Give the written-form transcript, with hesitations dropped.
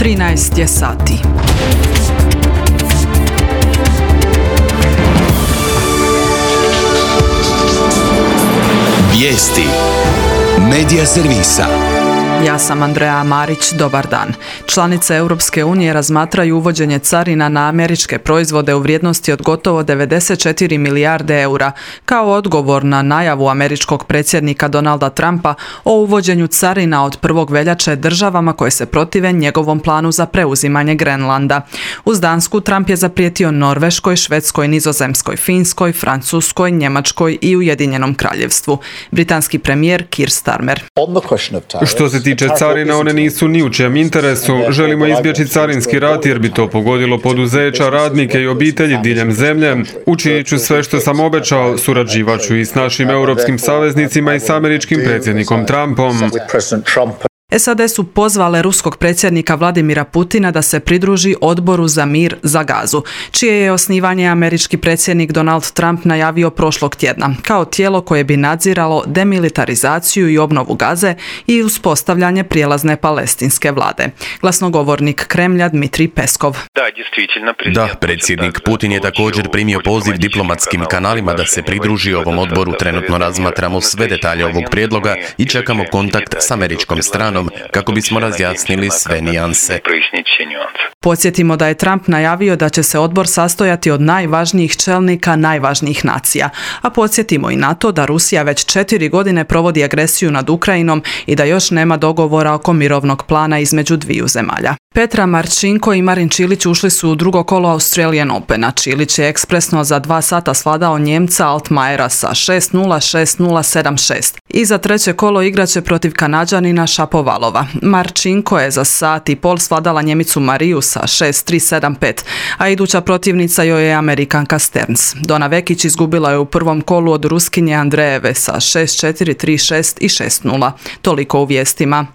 13 je sati. Vijesti Medija servisa. Ja sam Andreja Marić, dobar dan. Članice Europske unije razmatraju uvođenje carina na američke proizvode u vrijednosti od gotovo 94 milijarde eura, kao odgovor na najavu američkog predsjednika Donalda Trumpa o uvođenju carina od 1. veljače državama koje se protive njegovom planu za preuzimanje Grenlanda. Uz Dansku Trump je zaprijetio Norveškoj, Švedskoj, Nizozemskoj, Finskoj, Francuskoj, Njemačkoj i Ujedinjenom Kraljevstvu. Britanski premijer Keir Starmer. Što se tiče carina, one nisu ni u čijem interesu. Želimo izbjeći carinski rat jer bi to pogodilo poduzeća, radnike i obitelji diljem zemlje. Učinit ću sve što sam obećao, surađivat ću i s našim europskim saveznicima i s američkim predsjednikom Trumpom. SAD su pozvale ruskog predsjednika Vladimira Putina da se pridruži Odboru za mir za Gazu, čije je osnivanje američki predsjednik Donald Trump najavio prošlog tjedna, kao tijelo koje bi nadziralo demilitarizaciju i obnovu Gaze i uspostavljanje prijelazne palestinske vlade. Glasnogovornik Kremlja Dmitrij Peskov. Da, predsjednik Putin je također primio poziv diplomatskim kanalima da se pridruži ovom odboru. Trenutno razmatramo sve detalje ovog prijedloga i čekamo kontakt s američkom stranom kako bismo razjasnili sve nijanse. Podsjetimo da je Trump najavio da će se odbor sastojati od najvažnijih čelnika najvažnijih nacija, a podsjetimo i na to da Rusija već 4 godine provodi agresiju nad Ukrajinom i da još nema dogovora oko mirovnog plana između dviju zemalja. Petra Marčinko i Marin Čilić ušli su u drugo kolo Australian Opena. Čilić je ekspresno za 2 sata svladao Njemca Altmajera sa 6-0, 6-0, 7-6. I za treće kolo igraće protiv Kanađanina Šapovalova. Marčinko je za sat i pol svladala Njemicu Mariju sa 6-3, 7-5, a iduća protivnica joj je Amerikanka Stearns. Dona Vekić izgubila je u prvom kolu od Ruskinje Andrejeve sa 6-4, 3-6 i 6-0. Toliko u vijestima.